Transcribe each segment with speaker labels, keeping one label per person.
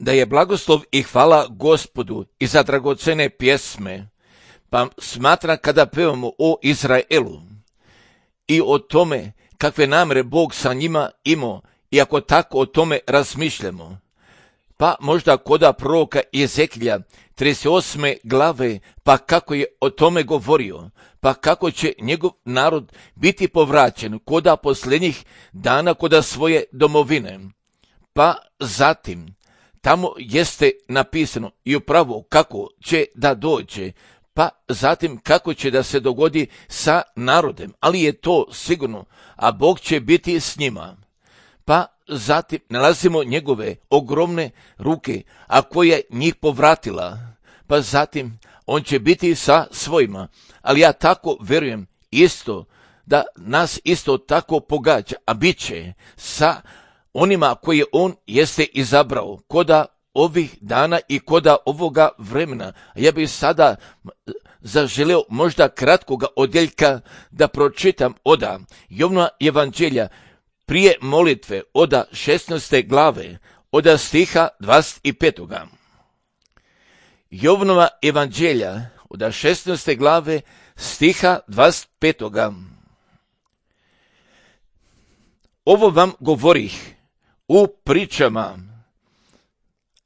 Speaker 1: da je blagoslov i hvala Gospodu i za dragocene pjesme, pa smatram kada pevamo o Izraelu i o tome kakve namere Bog sa njima imao i ako tako o tome razmišljamo, pa možda koda proroka Jezekilja 38. glave, pa kako je o tome govorio, pa kako će njegov narod biti povraćen koda posljednjih dana koda svoje domovine. Pa zatim, tamo jeste napisano i upravo kako će da dođe, pa zatim kako će da se dogodi sa narodem, ali je to sigurno, a Bog će biti s njima. Pa zatim nalazimo njegove ogromne ruke, a koja njih povratila, pa zatim on će biti sa svojima, ali ja tako vjerujem isto da nas isto tako pogađa, a bit će sa onima koje on jeste izabrao koda ovih dana i koda ovoga vremena. Ja bih sada zaželeo možda kratkoga odjeljka da pročitam oda Jovnova evanđelja prije molitve oda 16. glave, oda stiha 25. Jovnova evanđelja oda 16. glave, stiha 25. Ovo vam govorih u pričama,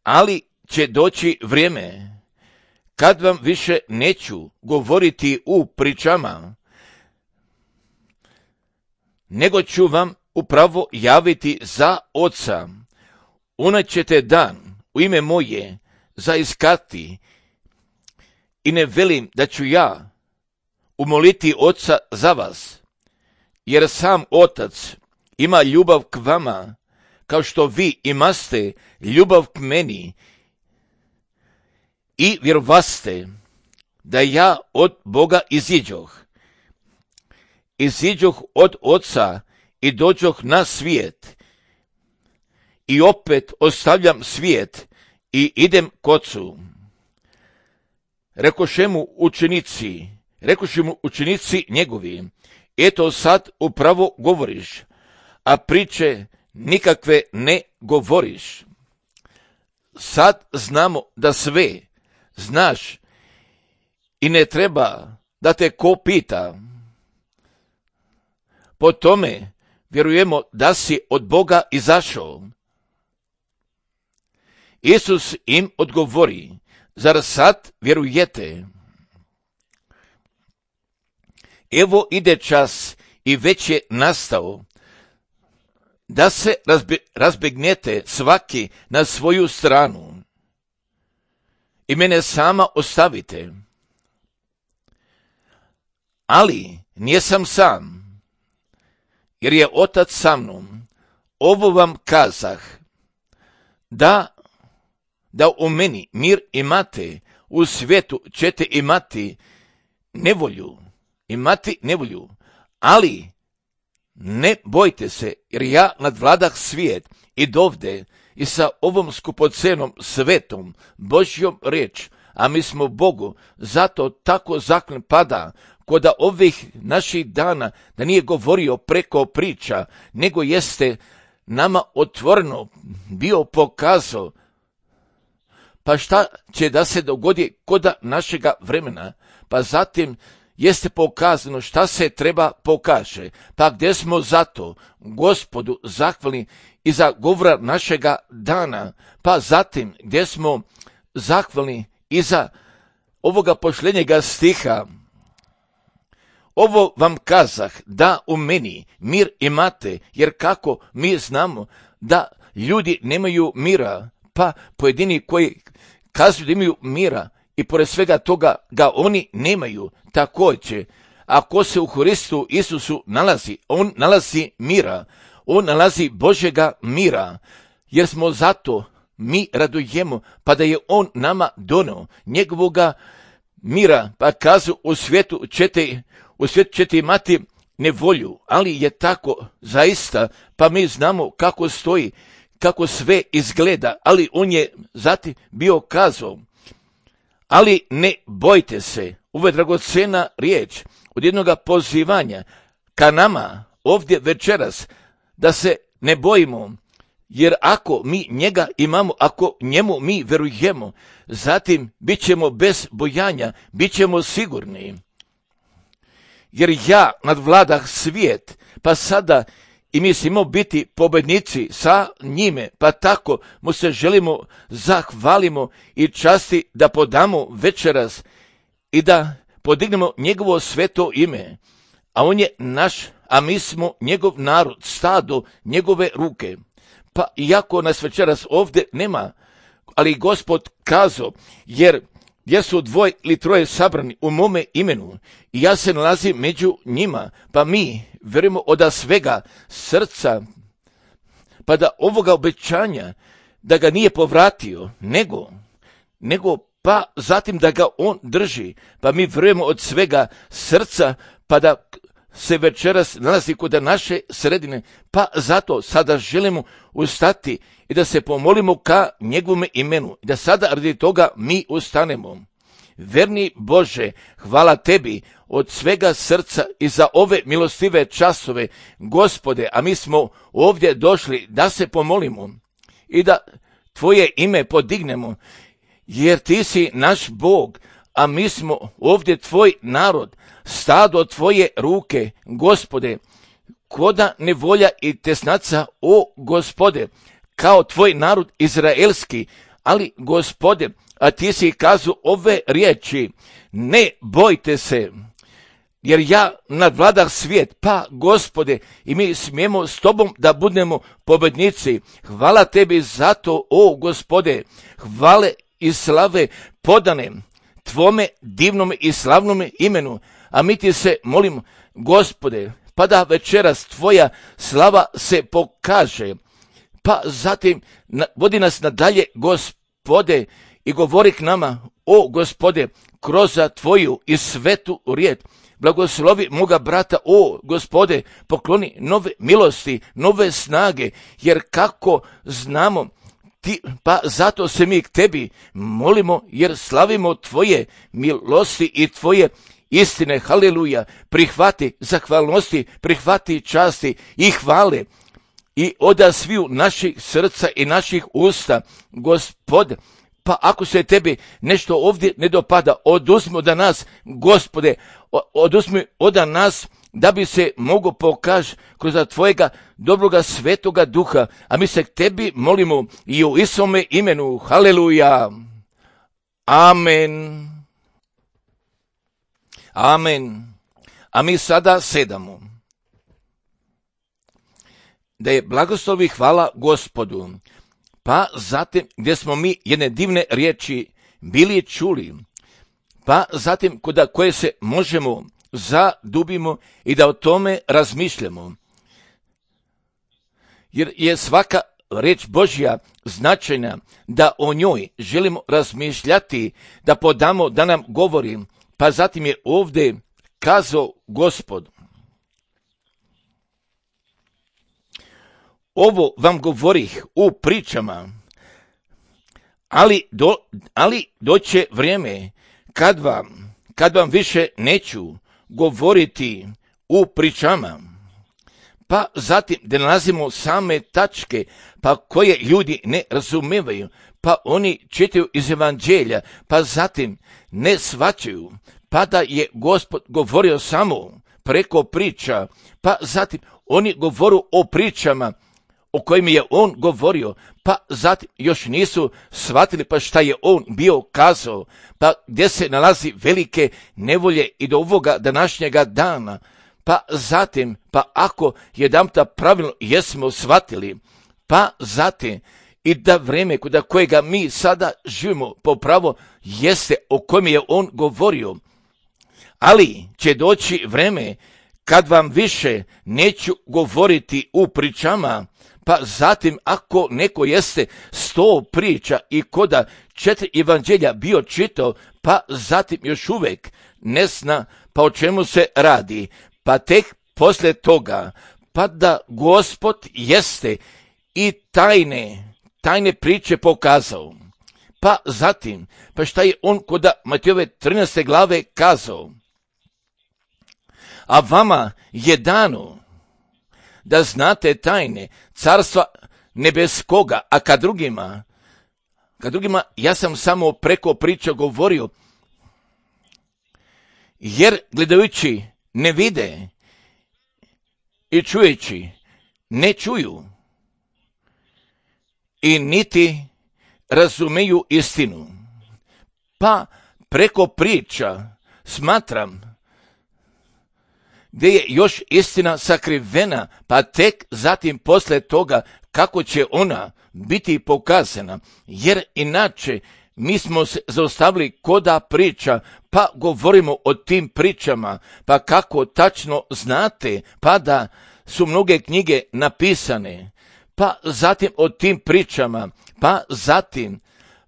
Speaker 1: ali će doći vrijeme kad vam više neću govoriti u pričama, nego ću vam upravo javiti za Oca. Ona ćete dan u ime moje zaiskati i ne velim da ću ja umoliti Oca za vas, jer sam Otac ima ljubav k vama, kao što vi imaste ljubav k meni i vjerovaste da ja od Boga iziđoh. Iziđoh od Oca i dođoh na svijet i opet ostavljam svijet i idem k Ocu. Rekoše mu učenici njegovi, eto sad upravo govoriš, a priče nikakve ne govoriš. Sad znamo da sve znaš i ne treba da te ko pita. Po tome vjerujemo da si od Boga izašao. Isus im odgovori, zar sad vjerujete? Evo ide čas i već je nastao, da se razbegnete svaki na svoju stranu i mene sama ostavite. Ali nijesam sam, jer je Otac sa mnom. Ovo vam kazah, da u meni mir imate, u svijetu ćete imati nevolju, ali ne bojte se, jer ja nadvladah svijet i dovde i sa ovom skupocenom svetom Božjom riječ, a mi smo Bogu zato tako zaklen pada koda ovih naših dana, da nije govorio preko priča, nego jeste nama otvoreno bio pokazao. Pa šta će da se dogodi koda našega vremena? Pa zatim jeste pokazano šta se treba pokaže. Pa gdje smo zato Gospodu zahvalni i za govora našega dana, pa zatim gdje smo zahvalni i za ovoga pošljenjega stiha. Ovo vam kazah, da u meni mir imate, jer kako mi znamo da ljudi nemaju mira, pa pojedini koji kazuju da imaju mira i pored svega toga ga oni nemaju. Također, ako se u Hristu Isusu nalazi, on nalazi mira, on nalazi Božjega mira, jer smo zato mi radujemo, pa da je on nama donio njegovoga mira, pa kazu u svijetu ćete imati nevolju, ali je tako zaista, pa mi znamo kako stoji, kako sve izgleda, ali on je zatim bio kazao, ali ne bojte se. Ovo je dragocena riječ od jednoga pozivanja ka nama ovdje večeras, da se ne bojimo, Jer ako mi njega imamo, ako njemu mi verujemo, zatim bit ćemo bez bojanja, bit ćemo sigurni. Jer ja nadvladah svijet, pa sada i mislimo biti pobednici sa njime, pa tako mu se želimo zahvalimo i časti da podamo večeras i da podignemo njegovo sveto ime. A on je naš, a mi smo njegov narod, stado njegove ruke. Pa iako nas večeras ovdje nema, ali Gospod kazao, jer gdje su 2 ili 3 sabrani u mome imenu i ja se nalazim među njima, pa mi vjerujemo od svega srca, pa da ovoga obećanja, da ga nije povratio, nego pa zatim da ga on drži, pa mi vjerujemo od svega srca, pa da se večeras nalazi kod naše sredine, pa zato sada želimo ustati i da se pomolimo ka njegovome imenu i da sada radi toga mi ustanemo. Verni Bože, hvala tebi od svega srca i za ove milostive časove, Gospode, a mi smo ovdje došli da se pomolimo i da tvoje ime podignemo, jer ti si naš Bog, a mi smo ovdje tvoj narod, stado tvoje ruke, Gospode, koda nevolja i tesnaca, o Gospode, kao tvoj narod izraelski, ali Gospode, a ti si kazao ove riječi, ne bojte se, jer ja nadvladah svijet, pa Gospode, i mi smijemo s tobom da budemo pobednici. Hvala tebi za to, o Gospode, hvale i slave podane tvome divnome i slavnome imenu, a mi ti se molimo, Gospode, pa da večeras tvoja slava se pokaže, pa zatim vodi nas nadalje, Gospode, i govori k nama, o Gospode, kroz tvoju i svetu riječ. Blagoslovi moga brata, o Gospode, pokloni nove milosti, nove snage, jer kako znamo ti, pa zato se mi k tebi molimo, jer slavimo tvoje milosti i tvoje istine. Haleluja, prihvati zahvalnosti, prihvati časti i hvale i oda sviju naših srca i naših usta, Gospode. Pa ako se tebi nešto ovdje ne dopada, oduzmi od nas, Gospode, oduzmi od nas, da bi se mogo pokaži kroz tvojega dobroga svetoga duha, a mi se k tebi molimo i u Isome imenu. Haleluja. Amen. Amen. A mi sada sedamo. Da je blagoslovi hvala Gospodu. Pa zatim gdje smo mi jedne divne riječi bili čuli, pa zatim kod koje se možemo zadubimo i da o tome razmišljamo. Jer je svaka riječ Božja značajna, da o njoj želimo razmišljati, da podamo, da nam govori, pa zatim je ovdje kazao Gospod. Ovo vam govorih u pričama, ali doće vrijeme kad vam više neću govoriti u pričama. Pa zatim da nalazimo same tačke, pa koje ljudi ne razumevaju, pa oni čitaju iz evanđelja, pa zatim ne shvaćaju, pa da je Gospod govorio samo preko priča, pa zatim oni govoru o pričama o kojim je on govorio, pa zatim još nisu shvatili pa šta je on bio kazao, pa gdje se nalazi velike nevolje i do ovoga današnjega dana, pa zatim, pa ako jedanputa pravilno jesmo shvatili, pa zatim i da vreme kod kojega mi sada živimo po pravo jeste o kojem je on govorio, ali će doći vreme kad vam više neću govoriti u pričama, pa zatim ako neko jeste 100 priča i koda 4 evanđelja bio čitao, pa zatim još uvijek ne zna pa o čemu se radi, pa tek poslije toga, pa da Gospod jeste i tajne priče pokazao, pa zatim, pa šta je on kod Matejove 13. glave kazao, a vama je dano da znate tajne carstva ne bez koga, a kad drugima ja sam samo preko priča govorio, jer gledajući ne vide i čujeći ne čuju i niti razumeju istinu. Pa preko priča smatram gdje je još istina sakrivena, pa tek zatim posle toga kako će ona biti pokazana, jer inače mi smo se zaustavili koda priča, pa govorimo o tim pričama, pa kako tačno znate, pa da su mnoge knjige napisane, pa zatim o tim pričama, pa zatim,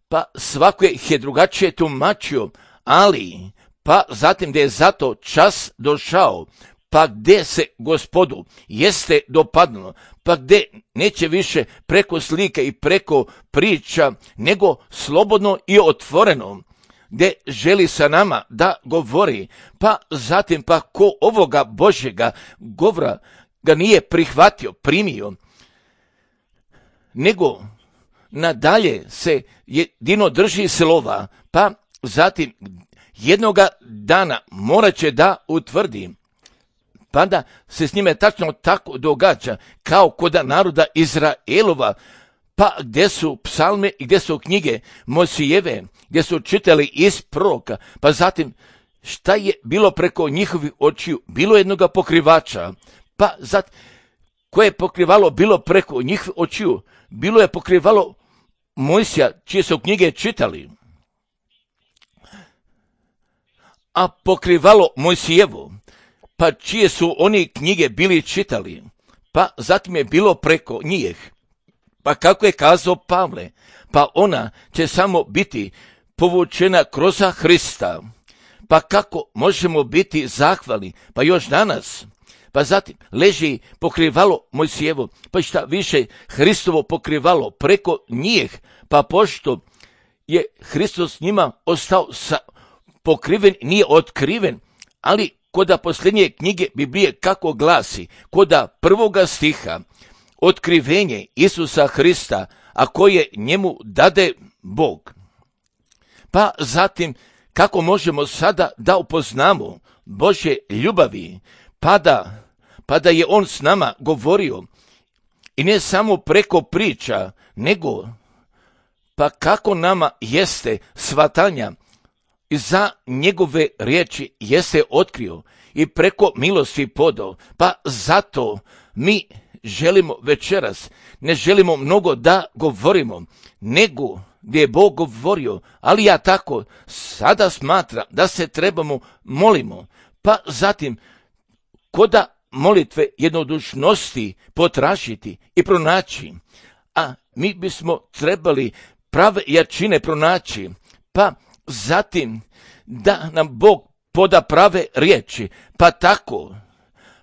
Speaker 1: pa svako ih je drugačije tumačio, ali, pa zatim gdje je zato čas došao, pa gdje se Gospodu jeste dopadnulo, pa gdje neće više preko slike i preko priča, nego slobodno i otvoreno, gdje želi sa nama da govori, pa zatim pa ko ovoga Božjega govora ga nije prihvatio, primio, nego nadalje se jedino drži slova, pa zatim jednoga dana morat će da utvrdi, pa da se s njime tačno tako događa kao kod naroda Izraelova, pa gdje su psalme i gdje su knjige Mojsijeve, gdje su čitali iz proroka, pa zatim šta je bilo preko njihovih očiju, bilo jednoga pokrivača, pa zatim koje je pokrivalo bilo preko njihovih očiju, bilo je pokrivalo Mojsija čije su knjige čitali, a pokrivalo Mojsijevo, pa čije su oni knjige bili čitali, pa zatim je bilo preko njih. Pa kako je kazao Pavle, pa ona će samo biti povučena kroz Hrista. Pa kako možemo biti zahvalni, pa još danas, pa zatim leži pokrivalo Mojsijevo, pa šta više Hristovo pokrivalo preko njih, pa pošto je Hristos njima ostao pokriven, nije otkriven, ali koda posljednje knjige Biblije kako glasi, koda prvoga stiha, otkrivenje Isusa Hrista, a koje njemu dade Bog. Pa zatim, kako možemo sada da upoznamo Božje ljubavi, pa da je on s nama govorio, i ne samo preko priča, nego pa kako nama jeste svatanja i za njegove riječi jeste otkrio i preko milosti podao, pa zato mi želimo večeras, ne želimo mnogo da govorimo, nego gdje je Bog govorio, ali ja tako sada smatram da se trebamo molimo, pa zatim koda molitve jednodušnosti potražiti i pronaći, a mi bismo trebali prave jačine pronaći, pa zatim da nam Bog poda prave riječi, pa tako,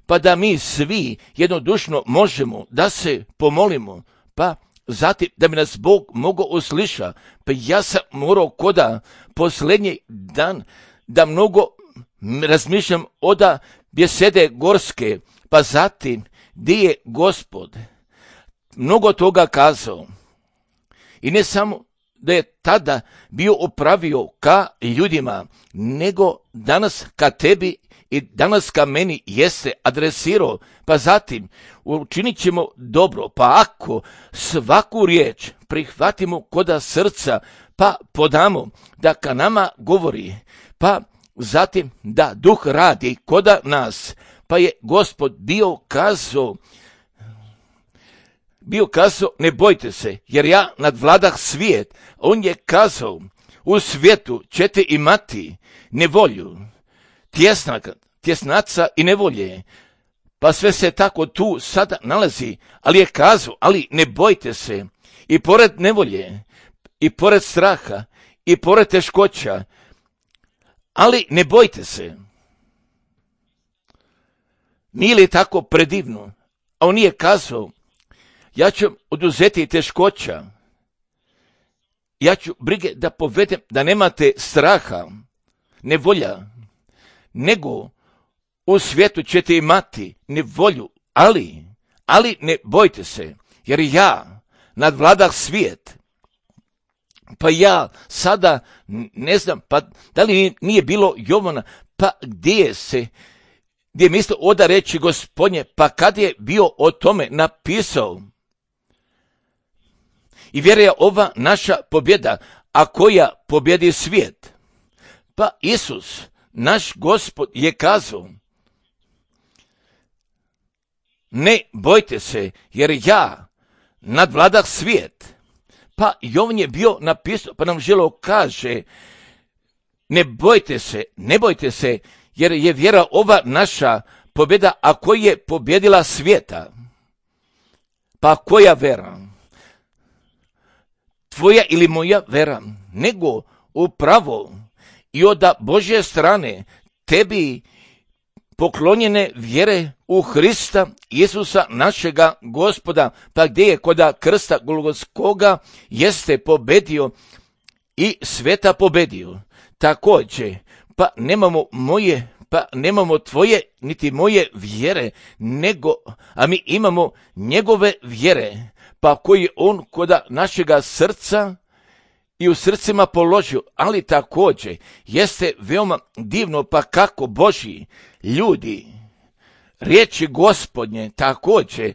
Speaker 1: pa da mi svi jednodušno možemo da se pomolimo, pa zatim da bi nas Bog mogao usliša. Pa ja sam morao koda posljednji dan da mnogo razmišljam oda bjesede gorske, pa zatim gdje je Gospod mnogo toga kazao. I ne samo da je tada bio opravio ka ljudima, nego danas ka tebi i danas ka meni jeste adresirao, pa zatim učinit ćemo dobro, pa ako svaku riječ prihvatimo koda srca, pa podamo da ka nama govori, pa zatim da Duh radi koda nas, pa je Gospod bio kazao, ne bojte se, jer ja nadvladah svijet. On je kazao, u svijetu ćete imati nevolju, tjesnaca i nevolje. Pa sve se tako tu sada nalazi, ali je kazao, ali ne bojte se. I pored nevolje, i pored straha, i pored teškoća, ali ne bojte se. Nije li tako predivno? A on je kazao, ja ću oduzeti teškoća, ja ću brige da povedem da nemate straha, nevolja, nego u svijetu ćete imati nevolju, ali ne bojte se, jer ja nadvladah svijet. Pa ja sada ne znam, pa da li nije bilo Jovana, pa gdje je mislio oda reći Gospodnje, pa kad je bio o tome napisao. I vjeruje ova naša pobjeda, a koja pobjedi svijet. Pa Isus, naš Gospod, je kazao, ne bojte se, jer ja nadvladah svijet. Pa Jovan je bio napisao, pa nam želo kaže, ne bojte se, jer je vjera ova naša pobjeda, a koja je pobjedila svijeta. Pa koja vera? Tvoja ili moja vera? Nego upravo i od Božje strane tebi poklonjene vjere u Hrista Isusa našega Gospoda, pa gdje je koda krsta Golgotskoga jeste pobedio i sveta pobedio. Također, pa nemamo tvoje niti moje vjere, a mi imamo njegove vjere, pa koji on koda našega srca i u srcima položio, ali također jeste veoma divno, pa kako Božji ljudi riječi Gospodnje također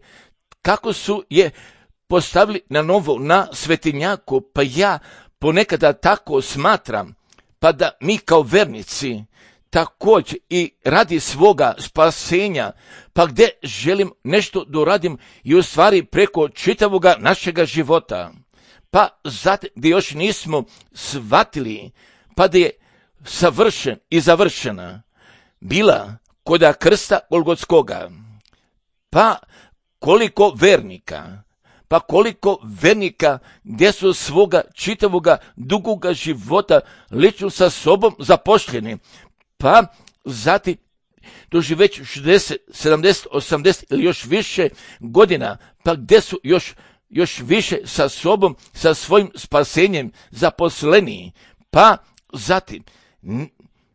Speaker 1: kako su je postavili na novo na svetinjaku, pa ja ponekada tako smatram, pa da mi kao vernici također i radi svoga spasenja, pa gdje želim nešto doradim i u stvari preko čitavoga našega života, pa zatim gdje još nismo shvatili, pa da je savršen i završena bila koda krsta Golgotskoga. Pa koliko vernika gdje su svoga čitavoga dugoga života lično sa sobom zapošljeni, pa zatim duži već 60, 70, 80 ili još više godina, pa gdje su još više sa sobom, sa svojim spasenjem zaposleni, pa zatim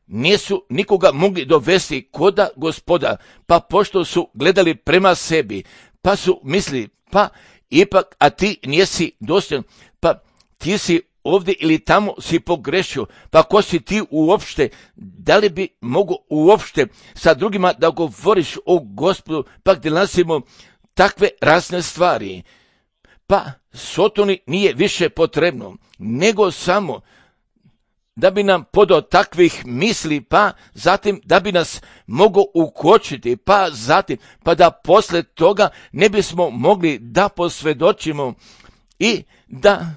Speaker 1: nisu nikoga mogli dovesti koda Gospoda, pa pošto su gledali prema sebi, pa su mislili, pa ipak, a ti nisi dostojan, pa ti si ovdje ili tamo si pogrešio, pa ko si ti uopšte, da li bi mogo uopšte sa drugima da govoriš o Gospodu, pa gdje nalazimo takve razne stvari. Pa Sotoni nije više potrebno, nego samo da bi nam podao takvih misli, pa zatim da bi nas mogao ukočiti, pa zatim, pa da posle toga ne bismo mogli da posvjedočimo i da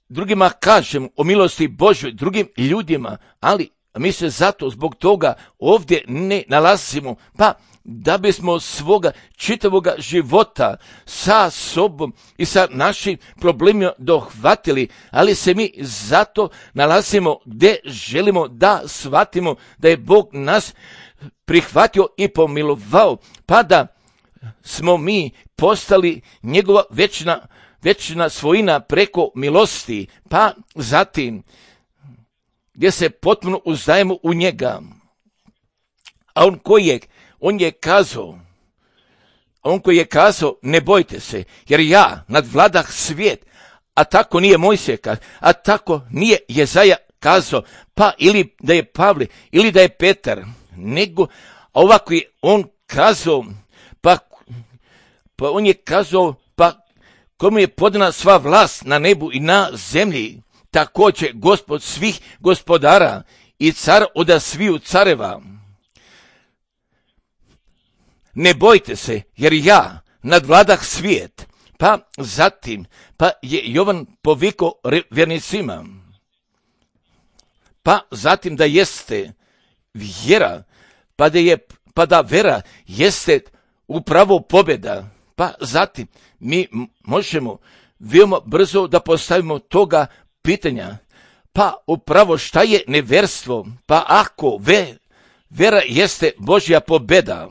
Speaker 1: drugima kažemo o milosti Božoj, drugim ljudima, ali mi se zato zbog toga ovdje ne nalazimo, pa da bismo svoga čitavoga života sa sobom i sa našim problemima dohvatili, ali se mi zato nalazimo gdje želimo da shvatimo da je Bog nas prihvatio i pomilovao, pa da smo mi postali njegova večna svojina preko milosti, pa zatim gdje se potpuno uzdajemo u njega. A on koji je kazao, ne bojte se, jer ja nadvladah svijet, a tako nije Mojsije, a tako nije Jezaja kazao, pa ili da je Pavle, ili da je Petar, nego ovako je on kazao, pa on je kazao, pa komu je podana sva vlast na nebu i na zemlji, također Gospod svih gospodara i car oda sviju careva. Ne bojte se, jer ja nadvladah svijet. Pa zatim, pa je Jovan povikao vjernicima. Pa zatim da jeste vjera, pa da vera jeste upravo pobjeda. Pa zatim mi možemo veoma brzo da postavimo toga pitanja. Pa upravo šta je neverstvo? Pa ako vera jeste Božja pobjeda.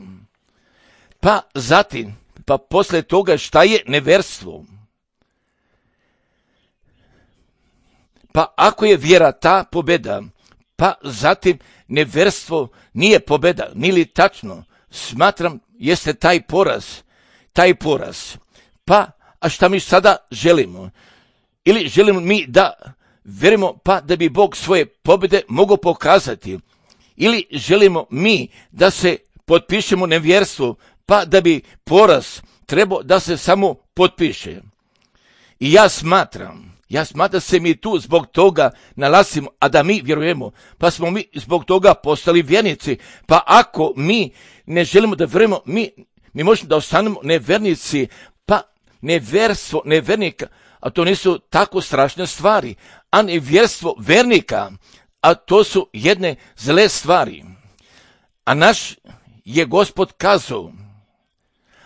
Speaker 1: Pa zatim, pa posle toga šta je neverstvo? Pa ako je vjera ta pobjeda, pa zatim neverstvo nije pobjeda, nili tačno, smatram jeste taj poraz. Pa a šta mi sada želimo? Ili želimo mi da vjerujemo pa da bi Bog svoje pobjede mogao pokazati? Ili želimo mi da se potpišemo nevjerstvu pa da bi poraz trebao da se samo potpiše? I ja smatram da se mi tu zbog toga nalazimo, a da mi vjerujemo, pa smo mi zbog toga postali vjernici. Pa ako mi ne želimo da vjerujemo, mi možemo da ostanemo nevjernici, pa nevjerstvo nevernika, a to nisu tako strašne stvari, a nevjerstvo vernika, a to su jedne zle stvari. A naš je Gospod kazao,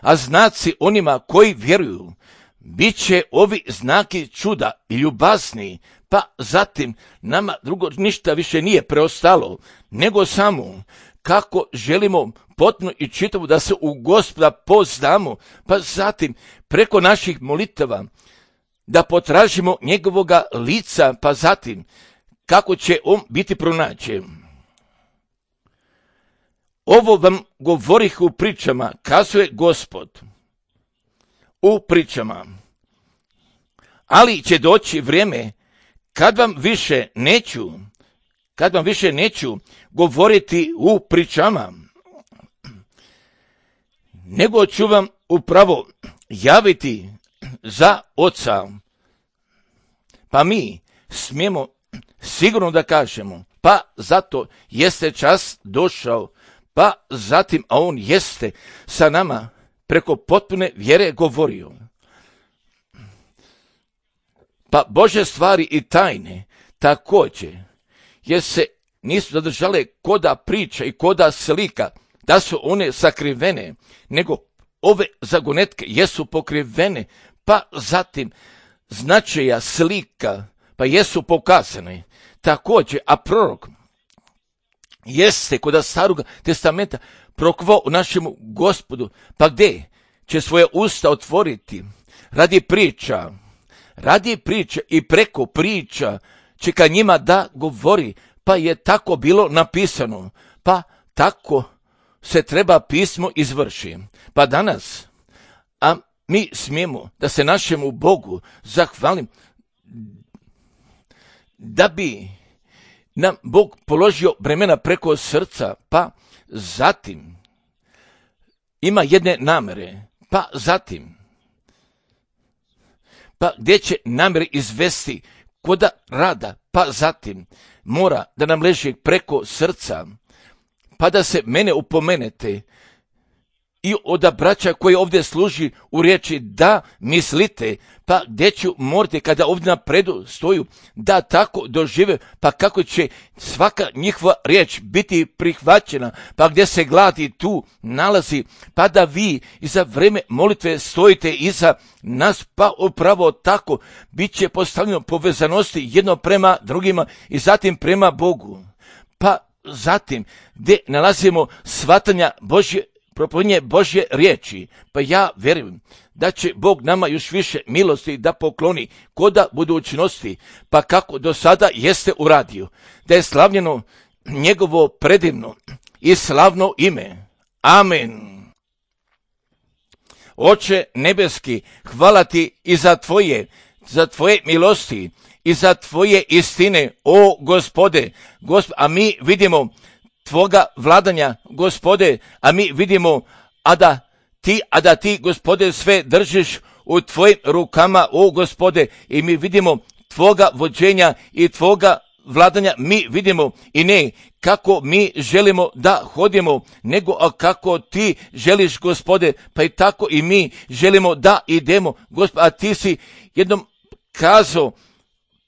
Speaker 1: a znaci onima koji vjeruju, bit će ovi znaki čuda i ljubazni, pa zatim nama drugo ništa više nije preostalo, nego samo kako želimo potpuno i čitavo da se u Gospoda poznamo, pa zatim preko naših molitava da potražimo njegovoga lica, pa zatim kako će on biti pronađen. Ovo vam govorih u pričama, kazuje Gospod. U pričama. Ali će doći vrijeme kad vam više neću govoriti u pričama, nego ću vam upravo javiti za Oca. Pa mi smijemo sigurno da kažemo, pa zato jeste čas došao, pa zatim, a on jeste sa nama preko potpune vjere govorio. Pa Božje stvari i tajne također, jer se nisu zadržale koda priča i koda slika, da su one sakrivene, nego ove zagonetke jesu pokrivene, pa zatim značaja slika, pa jesu pokazane. Također, a prorok jeste kod Starog testamenta prokvao u našemu Gospodu, pa gdje će svoje usta otvoriti radi priča i preko priča će ka njima da govori, pa je tako bilo napisano, pa tako se treba pismo izvrši. Pa danas, a mi smijemo da se našemu Bogu zahvalim, da bi nam Bog položio bremena preko srca, pa zatim ima jedne namere, pa zatim, pa gdje će namere izvesti koda rada, pa zatim mora da nam leži preko srca, pa da se mene upomenete i od braća koji ovdje služi u riječi da mislite, pa gdje ću morati kada ovdje napredu stoju da tako dožive, pa kako će svaka njihova riječ biti prihvaćena, pa gdje se gladi tu nalazi, pa da vi i za vrijeme molitve stojite iza nas, pa upravo tako bit će postavljeno povezanosti jedno prema drugima i zatim prema Bogu. Pa zatim gdje nalazimo shvatanja propovedanje Božje riječi, pa ja vjerujem da će Bog nama još više milosti da pokloni koda budućnosti, pa kako do sada jeste uradio, da je slavljeno njegovo predivno i slavno ime. Amen. Oče nebeski, hvala ti i za tvoje milosti i za tvoje istine, o Gospode, a mi vidimo tvoga vladanja, Gospode, a mi vidimo, a da ti, Gospode, sve držiš u tvojim rukama, o Gospode, i mi vidimo tvoga vođenja i tvoga vladanja, mi vidimo i ne kako mi želimo da hodimo, nego kako ti želiš, Gospode, pa i tako i mi želimo da idemo, Gospode, a ti si jednom kazao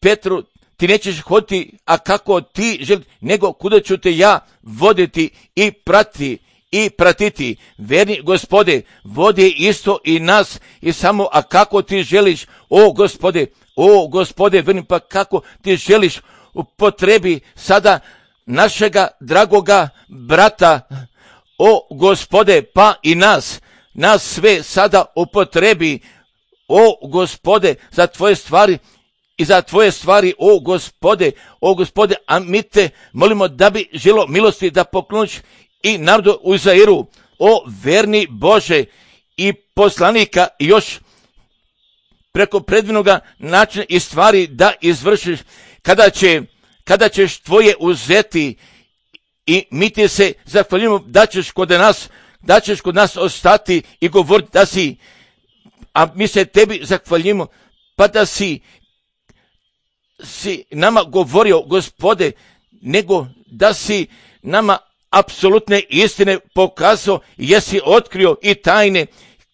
Speaker 1: Petru, ti nećeš hoditi, a kako ti želiš, nego kuda ću te ja voditi i pratiti. Verni Gospode, vodi isto i nas i samo, a kako ti želiš, o Gospode, verni, pa kako ti želiš upotrebi sada našega dragoga brata, o Gospode, pa i nas sve sada upotrebi, o Gospode, za tvoje stvari i za tvoje stvari, o Gospode, a mi te molimo da bi želo milosti da pokloniš i narodu u Izraelu, o verni Bože, i poslanika još preko predivnoga načina i stvari da izvršiš, kada ćeš tvoje uzeti i mi ti se zahvaljujemo da ćeš kod nas ostati i govoriti da si, a mi se tebi zahvaljujemo, pa da si nama govorio, Gospode, nego da si nama apsolutne istine pokazao, jesi otkrio i tajne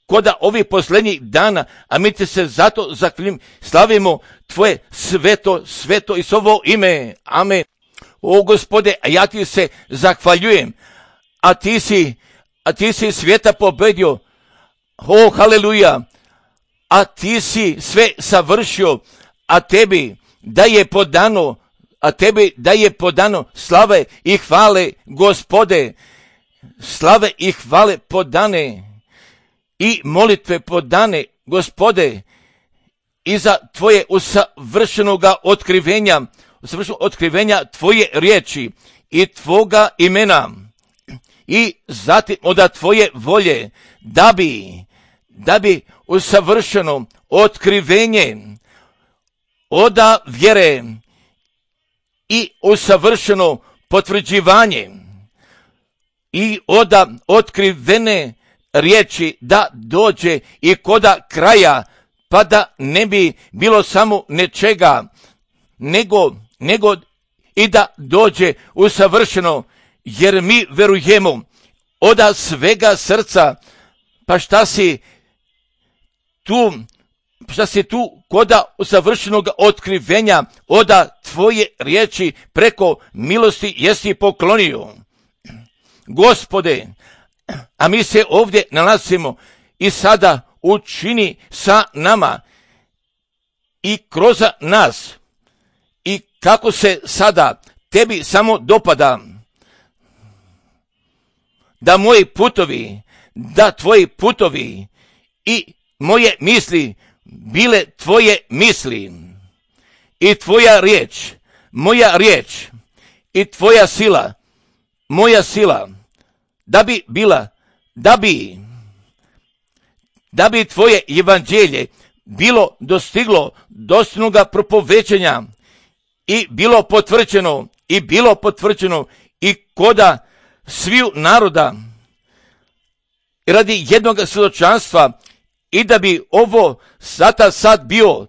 Speaker 1: koda ovih posljednjih dana, a mi ti se zato zahvaljujemo, slavimo tvoje sveto i slovo ime. Amen. O Gospode, a ja ti se zahvaljujem, a ti si svijeta pobedio. O, haleluja, a ti si sve savršio, a tebi da je podano slave i hvale, Gospode, slave i hvale podane i molitve podane, Gospode, i za tvoje usavršenoga otkrivenja tvoje riječi i tvoga imena i zatim od tvoje volje da bi usavršeno otkrivenje oda vjere i usavršeno potvrđivanje i oda otkrivene riječi da dođe i koda kraja, pa da ne bi bilo samo nečega, nego i da dođe usavršeno, jer mi verujemo oda svega srca, pa šta si tu koda usavršenog otkrivenja oda tvoje riječi preko milosti jesi poklonio. Gospode, a mi se ovdje nalazimo i sada učini sa nama i kroz nas i kako se sada tebi samo dopada da tvoji putovi i moje misli bile tvoje misli i tvoja riječ, moja riječ i tvoja sila, moja sila, da bi tvoje evanđelje bilo dostiglo dostojnoga propovećenja i bilo potvrđeno i koda sviju naroda radi jednog svjedočanstva i da bi ovo sad bio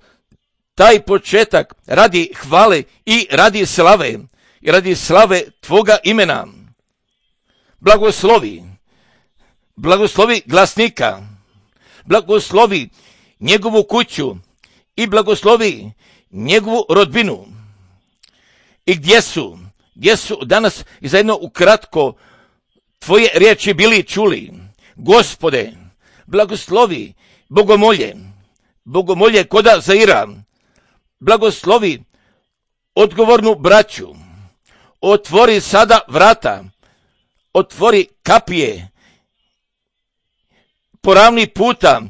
Speaker 1: taj početak radi hvale i radi slave tvoga imena. Blagoslovi glasnika, blagoslovi njegovu kuću i blagoslovi njegovu rodbinu. I gdje su danas i zajedno ukratko tvoje riječi bili čuli. Gospode, blagoslovi bogomolje koda Zaira, blagoslovi odgovornu braću, otvori sada vrata, otvori kapije, poravni puta,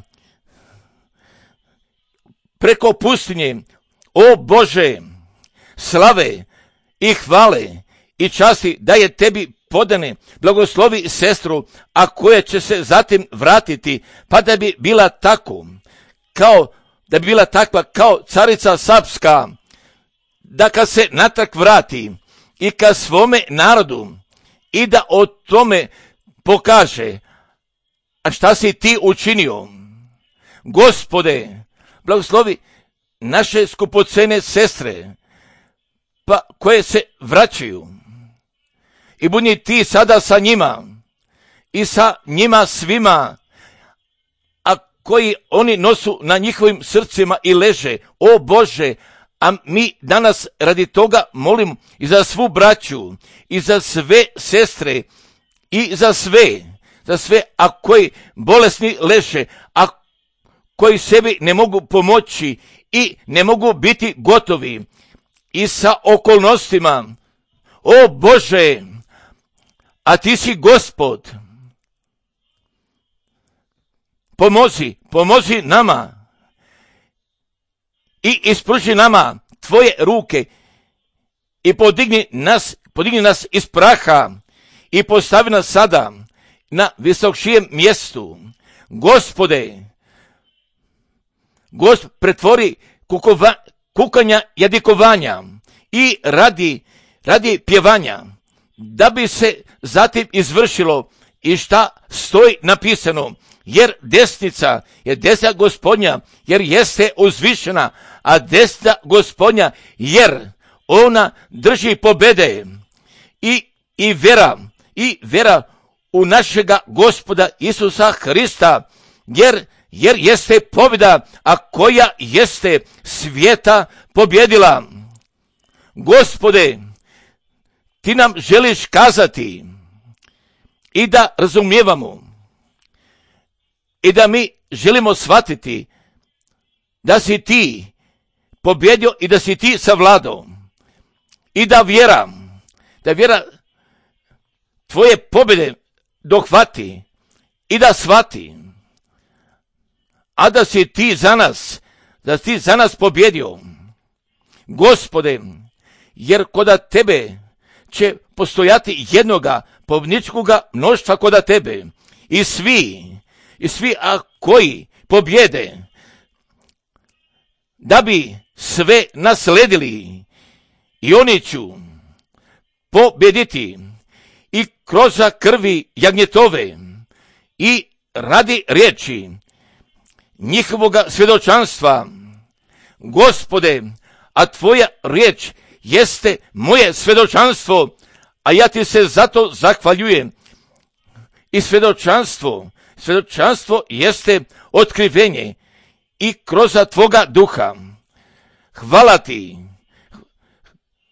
Speaker 1: preko pustinje, o Bože, slave i hvale i časti da je tebi podane, blagoslovi sestru, a koja će se zatim vratiti, pa da bi bila takva kao carica Sapska, da kad se natrag vrati i ka svome narodu i da o tome pokaže, a šta si ti učinio. Gospode, blagoslovi naše skupocene sestre, pa koje se vraćaju i budi ti sada sa njima i sa njima svima, a koji oni nosu na njihovim srcima i leže, o Bože, a mi danas radi toga molim i za svu braću i za sve sestre i za sve, a koji bolesni leže, a koji sebi ne mogu pomoći i ne mogu biti gotovi i sa okolnostima. O Bože, a ti si Gospod. Pomozi nama i ispruži nama tvoje ruke i podigni nas iz praha i postavi nas sada Gospod pretvori kukanja jadikovanja i radi pjevanja, da bi se zatim izvršilo i šta stoji napisano, jer desnica je desna Gospodnja, jer jeste uzvišena, a desna Gospodnja, jer ona drži pobede i vera u našega Gospoda Isusa Hrista, jer jeste pobjeda, a koja jeste svijeta pobjedila. Gospode, ti nam želiš kazati i da razumijevamo i da mi želimo shvatiti da si ti pobjedio i da si ti savladao i da vjera tvoje pobjede dohvati i da shvati, a da si ti za nas pobjedio. Gospode, jer koda tebe će postojati jednoga pobjedničkoga mnoštva koda tebe i svi koji pobjede, da bi sve nasledili, i oni ću pobjediti i kroz krvi jagnjetove i radi riječi njihovoga svjedočanstva. Gospode, a tvoja riječ jeste moje svjedočanstvo, a ja ti se zato zahvaljujem. I svjedočanstvo jeste otkrivenje i kroz tvoga duha. Hvala ti,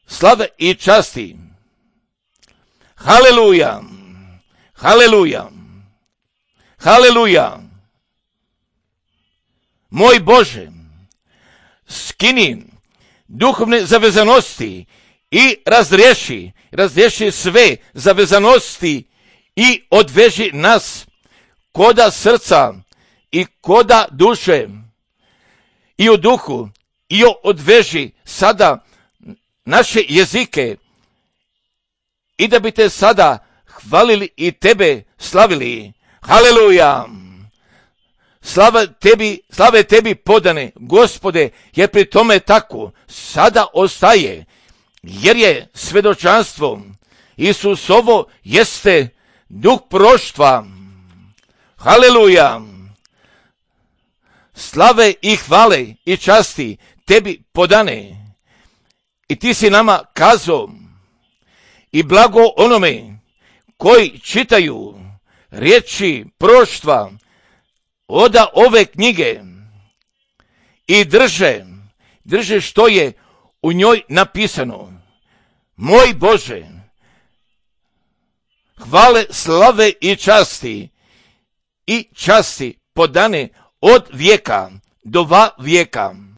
Speaker 1: slave i časti. Haleluja, haleluja, haleluja. Moj Bože, skini duhovne zavezanosti i razriješi sve zavezanosti i odveži nas koda srca i koda duše i u duhu, i odveži sada naše jezike i da bi te sada hvalili i tebe slavili. Haleluja! Slave tebi podane, Gospode, jer pri tome tako sada ostaje, jer je svjedočanstvo Isusovo jeste duh proštva. Haleluja! Slave i hvale i časti tebi podane. I ti si nama kazao i blago onome koji čitaju riječi proštva oda ove knjige i drže što je u njoj napisano. Moj Bože, hvale, slave i časti podane od vijeka do vijeka.